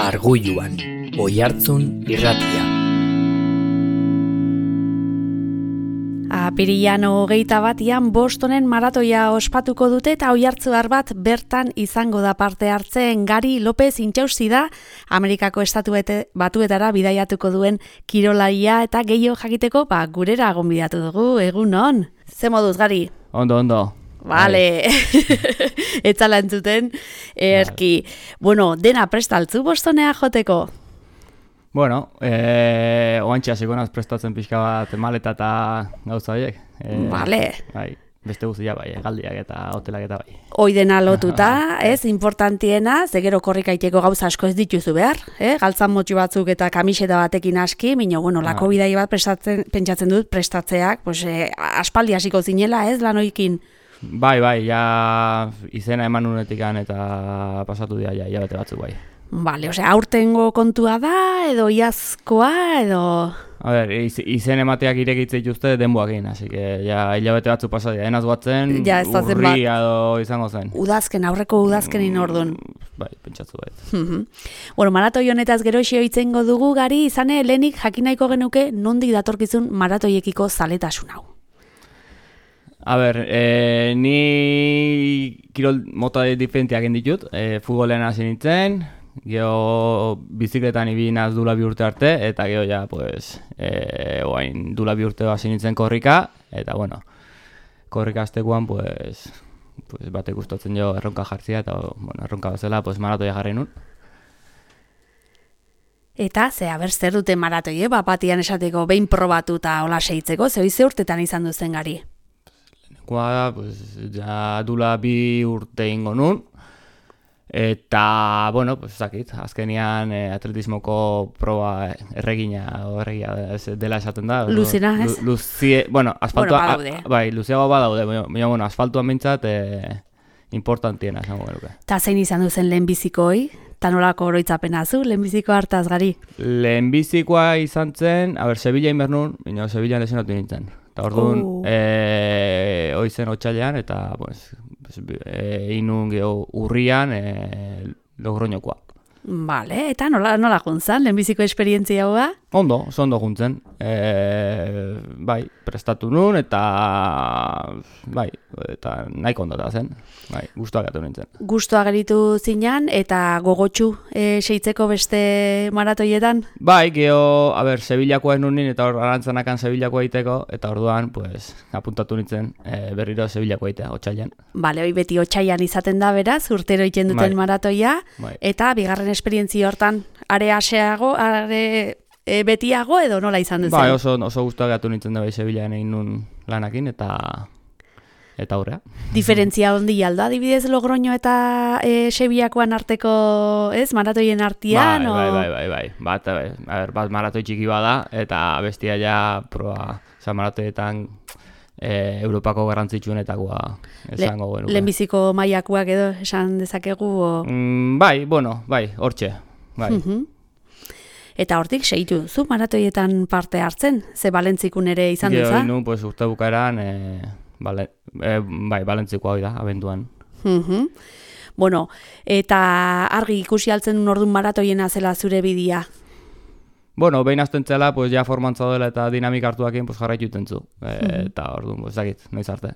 Argoiluan, Oihartzun irratia. Apirilean 21 Bostonen maratoia ospatuko dute eta oihartzuar bat bertan izango da parte hartzen. Gari López Intxausti da Amerikako Estatu Batuetara bidaiatuko duen kirolaria eta gehiago jakiteko gurera gonbidatu dugu. Egunon. Ze moduz, Gari? Ondo. Vale. Etzala entzuten. Erki. Bueno, dena prestaltzu Bostonea joteko? Bueno, oantxe hasiko naz prestatzen pixka bat maleta eta gauza horiek. Vale. Bai, beste guztia bai, galdiak eta hotelak eta bai. Hoi dena lotuta, ez, importantiena, ze gero korrikaiteko gauza asko ez dituzu behar, galtzan motxu batzuk eta kamiseta batekin aski, minio, bueno, lako bidai bat pentsatzen dut prestatzeak, pues, aspaldi hasiko zinela, ez, lanoikin. Bai, ja izena eman unetikan eta pasatu dira ja, hilabete batzuk bai. Vale, osea, aurtengo kontua da, edo iazkoa, edo... A ber, izen emateak irekitze dituzte denboakin, así que ja hilabete batzuk pasadia, enaz guatzen, urria edo izango zen. Aurreko udazkenin orduan. Bai, pentsatzu bai. Bueno, maratoi honetaz gero itzengo dugu, Gari, izane, lehenik jakinaiko genuke nondik datorkizun maratoiekiko zaletasun hau. A ber, ni kirol mota diferenteak ditut, futbolean hasi nintzen, gero bizikletan ibinaz dula bi urte arte, eta gero ja, pues, oain dula bi urte hasi nintzen korrika, eta bueno, korrika aztekuan, pues batek gustatzen jo erronka jartzia, eta bueno, erronka bezala, pues maratoia jarri nun. Eta, zer dute maratoie, batian esateko behin probatu eta hola seitzeko, ze urtetan izan duzen, Gari? Pues, ja dula bi urte ingo nun, eta, bueno, pues, zakit, azkenian atletismoko proba erregia dela esaten da. Luzena, ez? Bueno, asfaltua, badaude. Bai, luzeago badaude, baina, bueno, asfaltuan bintzat importantiena esango genuke. Ta zein izan duzen lehenbizikoi? Ta nolako oroitzapena zu, lehenbiziko hartaz, Gari? Lehenbizikoa izan zen, Sevilla inbernun, baina Sevillaan lesionatu nintzen. Eta orduan, hoi zen otxailean, eta inun urrian Logroñokoa. Vale, eta nola juntzan, lehenbiziko esperientzia hoa? Ondo juntzen. Bai, prestatu nun, eta nahiko ondota zen. Bai, gustuak atu nintzen. Gustua geritu zinan, eta gogotxu seitzeko beste maratoietan? Bai, geho, Sevillakoa ez nun eta hor arantzanakan Sevillakoa egiteko, eta orduan, pues, apuntatu nintzen berriro Sevillakoa egitea, otxailan. Bale, hoi beti otxailan izaten da beraz, urtero egiten duten maratoia, eta bigarren esperientzia hortan, are betiago edo nola izan duzen? Bai, oso gustuak atu nintzen da bai Sevillaan egin nun lanakin, eta aurrea. Diferentzia hondi alda, adibidez Logroño eta Sevillakoan arteko, ez, maratoien artean? Bai. Bat maratoi txiki bada, eta bestia ja proba, maratoietan Europako garrantzitsuenetakoa esango genuke. Lehenbiziko mailakoak edo esan dezakegu? Bai, hortxe. Bai. Eta hortik seitu duzu maratoietan parte hartzen? Ze Balentzikun ere izan duza? Gero, pues, urte bukaeran, Balentzikoa hori da, abenduan. Bueno, eta argi ikusi altzen orduan maratoiena zela zure bidia? Bueno, behin azten zela, pues, ja formantza dela eta dinamika hartuakin, pues, jarraitu itentzu. Eta orduan, pues, zakit, noiz arte.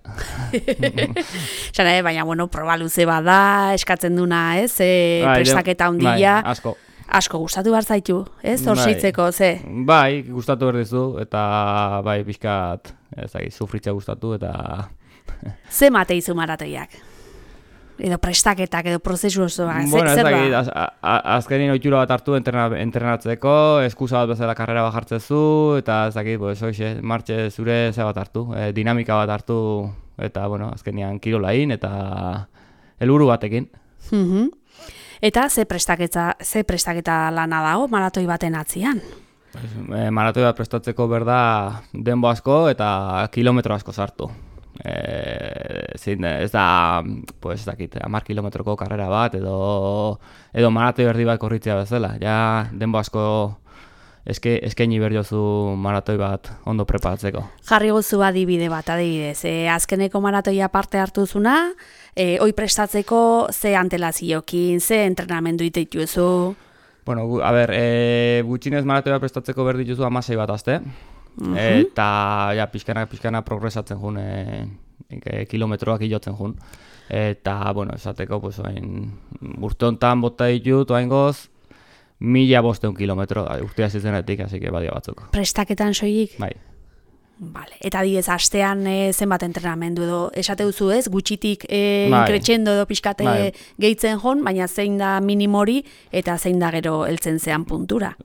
Baina, bueno, proba luze bada, eskatzen duna, ez? Prestaketa handia. Bai, asko gustatu behar zaitu, ez? Hor seitzeko, ze? Bai, gustatu berdizu, eta bai, pixkat, sufritzea gustatu, eta... Ze mate izu maratoiak? Edo prestaketak, edo prozesu osoa, zer da? Azkenin oitura bat hartu entrenatzeko, eskusa bat bezala karrera bat jartzezu, eta martxe zure ze bat hartu, dinamika bat hartu, eta, azkenian kirolain, eta helburu batekin. Eta ze prestaketa lana dago maratoi baten atzian? Maratoi bat prestatzeko berda denbo asko eta kilometro asko sartu. Ez da, pues, 10 kilometroko karrera bat edo maratoi erdi bat korritzea bezala. Ja, denbo asko eskaini berjozu maratoi bat ondo preparatzeko. Jarri gozu adibide bat, adibidez. Azkeneko maratoia parte hartuzuna, hoi prestatzeko ze antelaziokin, ze entrenamendu iteitu ezu? Bueno, gutxinez maratoia prestatzeko behar dituzu 16 bat aste, eta ja, pixkana progresatzen jun, kilometroak hilotzen jun. Eta, bueno, esateko, pues, urte honetan bota ditut, oaingoz, 1500 kilometro, urtea zizenetik, así que badia batzuk. Prestaketan soilik? Bai. Vale. Eta adibidez, astean zenbat entrenamendu edo esate duzu ez, gutxitik Bai. inkretxendo edo pixkate Bai. gehitzen jon, baina zein da minimori eta zein da gero heltzen zean puntura.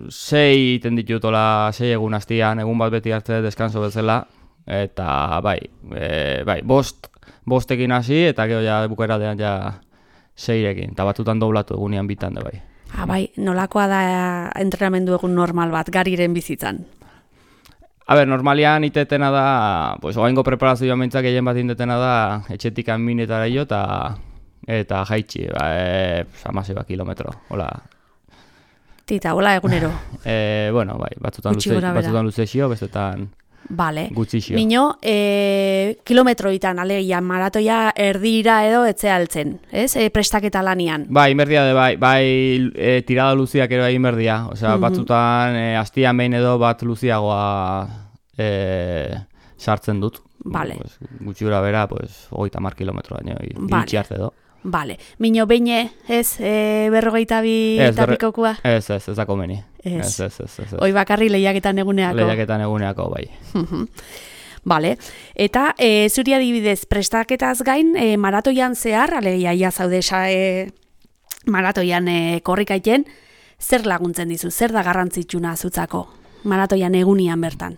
6 iten ditutola, 6 egun hastian, egun bat beti hartze deskanso bezala, eta bai, bostekin hasi, eta gero ja bukeradean ja 6ekin, eta batzutan doblatu egunean bitan da bai. Bai, nolakoa da entrenamendu egun normal bat, gariren bizitzan? Normalian itetena da, pues, oaingo preparazioa mentzak gehien bat indetena da, etxetik minetara jo, eta jaitxi, 16 kilometro, hola. Tita, hola egunero. Bueno, bai, batzutan luze xio, bestetan Vale. gutxi xio. Mino, kilometroitan, alegia, maratoia erdira edo etzea altzen, ez? Prestaketa lanian. Bai, inberdia de bai, tirada luziak ero egin berdia. Osea, batzutan hastian behin edo bat luziagoa sartzen dut. Vale. Pues, gutxi gura bera, pues, 30 kilometro baino, iritsi arte edo. Vale. Mino, beine, ez, 42 eta pikokua? Ez da komeni. Ez. Ez. Hoi bakarri lehiaketan eguneako? Lehiaketan eguneako, bai. Vale. Eta zuri adibidez, prestaketaz gain, maratoian zehar, alegia ia zaude maratoian korrikaiten, zer laguntzen dizu, zer da garrantzitsuna zutzako maratoian egunian bertan?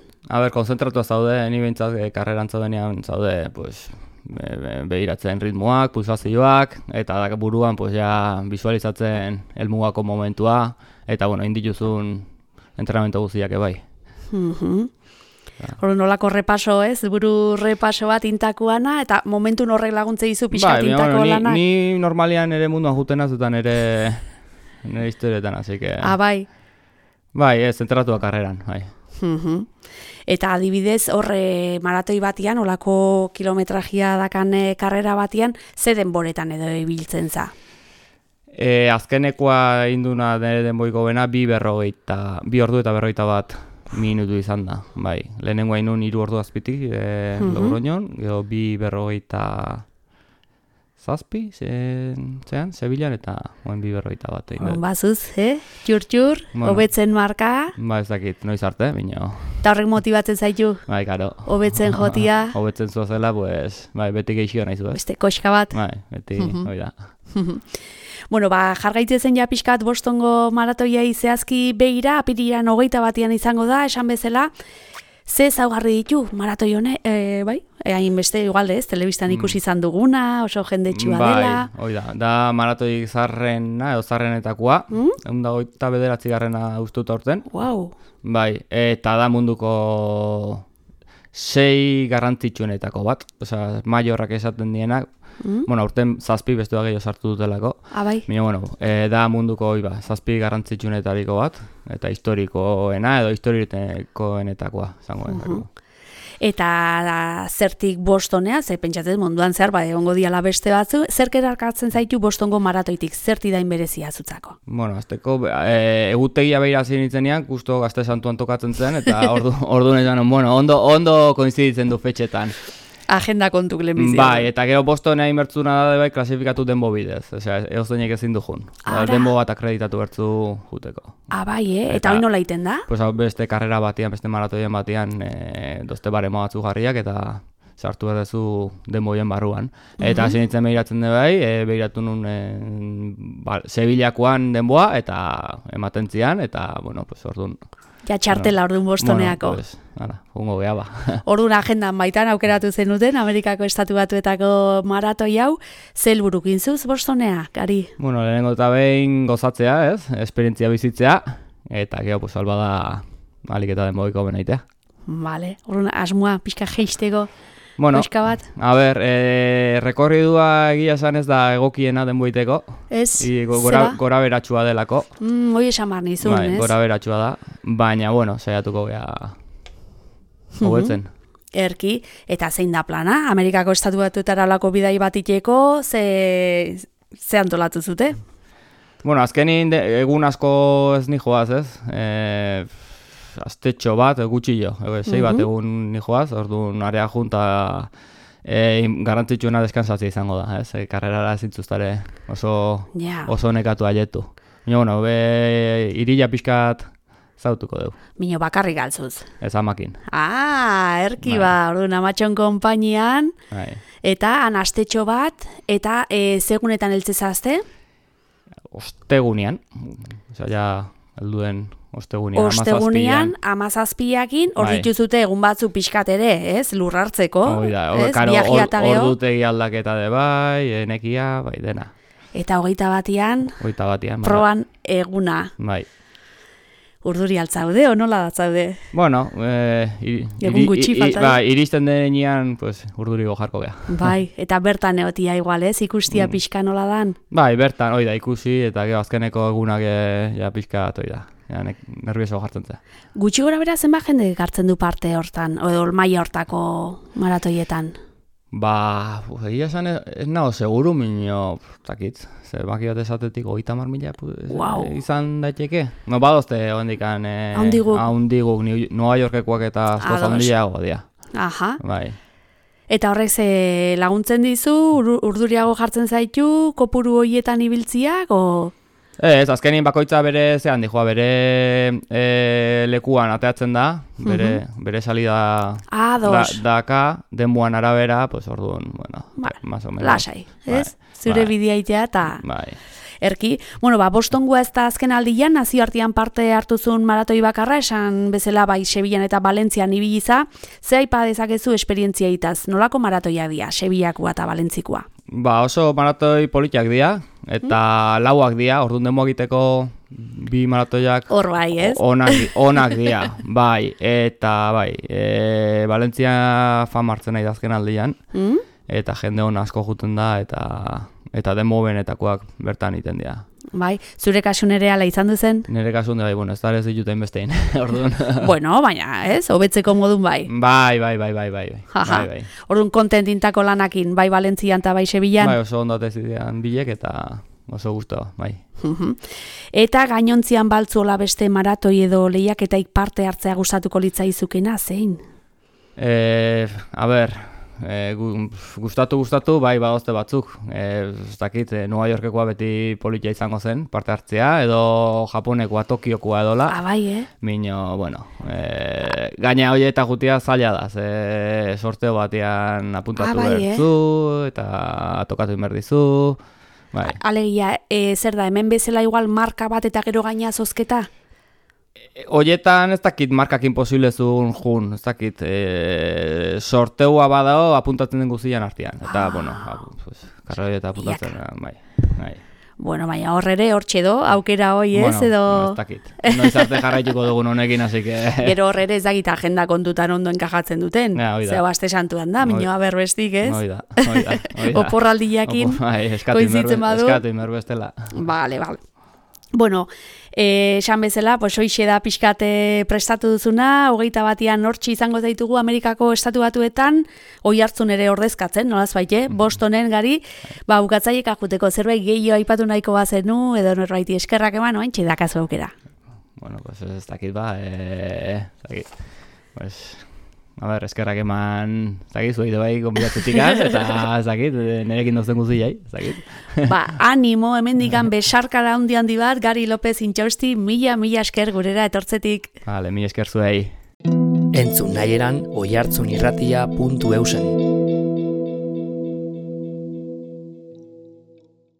Konzentratua zaude, ni behintzat karreran zaudenean zaude, pues, behiratzen ritmoak, pulsazioak, eta buruan pues, ja, visualizatzen helmugako momentua, eta bueno, indituzun entrenamendu guztiak bai. Nolako repaso, ez? Buru repaso bat intakuana, eta momentu horrek laguntze dizu pixkat intako lanak? Ni normalian ere munduan jutenaz, eta nire historietan, así que... Bai? Bai, zentratua karreran, bai. Eta adibidez, horre maratoi batian, olako kilometrajia dakan karrera batian, ze denboretan edo ibiltzen za? Azkenekoa induna nire denboiko bena, 2 ordu eta 41 minutu izan da. Bai, lehenengoa inun 3 ordu azpitik, Logroñon, gero 2:47, Sevillan eta 2:41. Bazuz, txur, hobetzen marka. Ba, ez dakit, noiz arte, bino. Eta horrek motibatzen zaitu? Bai, karo. Hobetzen jotia? Hobetzen zuazela, pues, bai, beti geixio nahi zu, ez? Beste koxka bat? Bai, beti, hoi da. Bueno, jargaitzen ja pixkat Bostongo maratoia zehazki begira, apiriran 21 izango da, esan bezala, ze zaugarri ditu maratoi hone, bai? Hain beste, igual ez, telebistan ikusi izan duguna, oso jendetsua dela. Bai, da maratoi zarrena, edo zarrenetakoa, 29. ustuta urten. Wow. Bai, eta da munduko 6 garrantzitsuenetako bat, osea, maiorrak esaten dienak, bueno, urten 7 bestua gehiago sartu dutelako. Bai. Bueno, da munduko 7 garrantzitsuenetariko bat, eta historikoena edo historikoenetakoa, zango denako. Eta zertik Bostonea, ze pentsatzen munduan zehar, egongo diala beste batzu, zerk erarkatzen zaitu Bostongo maratoitik, zerti dain berezia zutzako? Bueno, azteko, egutegia behira zinitzenean, justo Gazte Santuan tokatzen zen, eta ordu nezan, bueno, ondo koinziditzen du fetxetan. Agenda kontuk lehenbizia. Bai, eta gero Bostonea inbertzuna da bai klasifikatu denbo bidez. Osea, eozeinek ezin du jun. Denbo bat akreditatu bertzu juteko. Bai, eta hori nola iten da? Pues beste karrera batian, beste maratoien batian, dozte baremo batzu jarriak eta sartu erdezu denboien barruan. Eta zinitzen behiratzen da bai, behiratu nun Sevillakoan denboa eta ematen zian, eta, bueno, pues orduan... Ja txartela orduan Bostoneako. Bueno, pues, jungo geha ba. Orduan agendan baitan aukeratu zenuten, Amerikako Estatu Batuetako maratoi hau, ze helburukin zuz Bostonea, Gari? Bueno, lehenengo eta behin gozatzea, ez? Esperientzia bizitzea, eta geho, pues, alba da aliketa den boiko benaitea. Vale, orduan asmoa, pixka jeisteko, bueno, pixka bat? A ber, rekorridua egia esan ez da egokiena denboiteko. Ez, gora beratxua delako. Hoi esan bar nizun, ez? Gora beratxua da, baina, bueno, saiatuko geha hobetzen. Erki, eta zein da plana? Amerikako Estatu Batuetara lako bidai bat iteko, ze antolatu zute? Bueno, azkenin egun asko ez nijoaz, ez? Astetxo bat, gutxillo, 6 bat egun nijoaz, orduan area junta garrantzitsuena deskansatzea izango da, ez? Karrerara zintzuztare oso nekatu aietu. Bueno, irila pixkat zautuko dugu. Mino bakarrik galtzuz. Ez amakin. Erki orduan amatxon konpainian, eta anastetxo bat, eta segunetan eltzezazte? Ostegunean, ja, helduen ostegunean, Ostegunean, 17akin, hor dituzute egun batzu pixkat ere, ez? Lur hartzeko, ordutegi aldaketa de bai, enekia, bai, dena. Eta 21 proban eguna. Bai. Urduri altzaude, o nola datzaude? Bueno, egun gutxi falta. Iristen denean, pues, urdurigo jarko geha. Bai, eta bertan egotia igual, ez? Ikustia pixka nola dan? Bai, bertan, oida, ikusi, eta gero azkeneko egunak pixka oida. Nervioso jartzen za. Gutxi gora bera zenba jende hartzen du parte hortan, edo maila hortako maratoietan? Egia esan ez nago seguru, minio, zakit, baki bat esatetik 30.000 izan daiteke. No, badozte hondikan haundiguk, Nueva Yorkekoak eta askoz handiago dia. Aha. Bai. Eta horrek laguntzen dizu, urduriago jartzen zaitu, kopuru horietan ibiltziak, o... Ez, azkenin bakoitza bere lekuan ateatzen da, bere salida daka, denbuan arabera, pues orduan, bueno, más o menos. Lasai, ez? Zure bideitea eta... Erki, bueno, Bostongoa ez da azken aldian, nazioartean parte hartuzun maratoi bakarra, esan bezala bai Sevillan eta Valentzian ibiliza, ze aipa dezakezu esperientzia itaz, nolako maratoia dira, Sevillakoa eta Valentzikoa? Oso maratoi politiak dira, eta lauak dira, orduan demo egiteko bi maratoiak hor bai, ez? Onak dira, bai, eta bai, Valentzia fama hartzen nahi da azken aldian, eta jende hona asko juten da, eta demo benetakoak bertan iten dira. Bai, zure kasu nere ala izan duzen? Nere kasu nere, bueno, ez da ez dituten bestein, orduan. Bueno, baina, ez, hobetzeko modun bai. Bai. Orduan kontentintako lanakin, bai Valentzian eta bai Sevillan? Bai, oso ondate zidean bilek eta oso gusto, bai. Eta gainontzian baltzuola beste maratoi edo lehiaketaik parte hartzea gustatuko litzaizukena, zein? A ber... Gustatu, bai, badozte batzuk. Ez dakit, Nueva Yorkekoa beti politia izango zen, parte hartzea, edo Japonekoa, Tokiokoa edola. Bai, Mino, bueno, gaina hori eta gutia zaila da, sorteo batean apuntatu bertzu, eta tokatu inberdizu. Bai. Alegia, zer da, hemen bezala igual marka bat eta gero gaina zozketa? Horietan ez dakit markak imposible zuen jun, ez dakit sorteua badao apuntatzen den guztian artean. Eta, bueno, karroi eta apuntatzen, bai. Bueno, baina horrere, hortxedo, aukera hoi ez, edo... Bueno, ez dakit. Noiz arte jarraituko dugun honekin, así que... Gero horrere ez dakit agenda kontutan ondo enkajatzen duten. Zeo aste santuan da, minioa berbestik, ez? Oida. Oporraldiakin, koizitzen badu. Eskatu inberbestela. Vale. Bueno, esan bezala, hoixe da pixkate prestatu duzuna, 21 hortxe izango zaitugu Amerikako estatu batuetan, Oiartzun ere ordezkatzen, nolaz baite, Bostonen gari, bukatzaiek ajuteko zerbait gehiago aipatu nahiko bazenu, edo norbaiti eskerrak eman, oaintxe dakazu aukera. Bueno, pues ez dakit a ber, eskerrak eman, zuei bai konbidatzetik eta nerekin dozen guztiai, animo, hemendikan besarkada handi bat, Gari López Intxausti, mila esker gurera etortzetik. Vale, mila esker zuei. Entzun nahieran oiartzunirratia.eusen.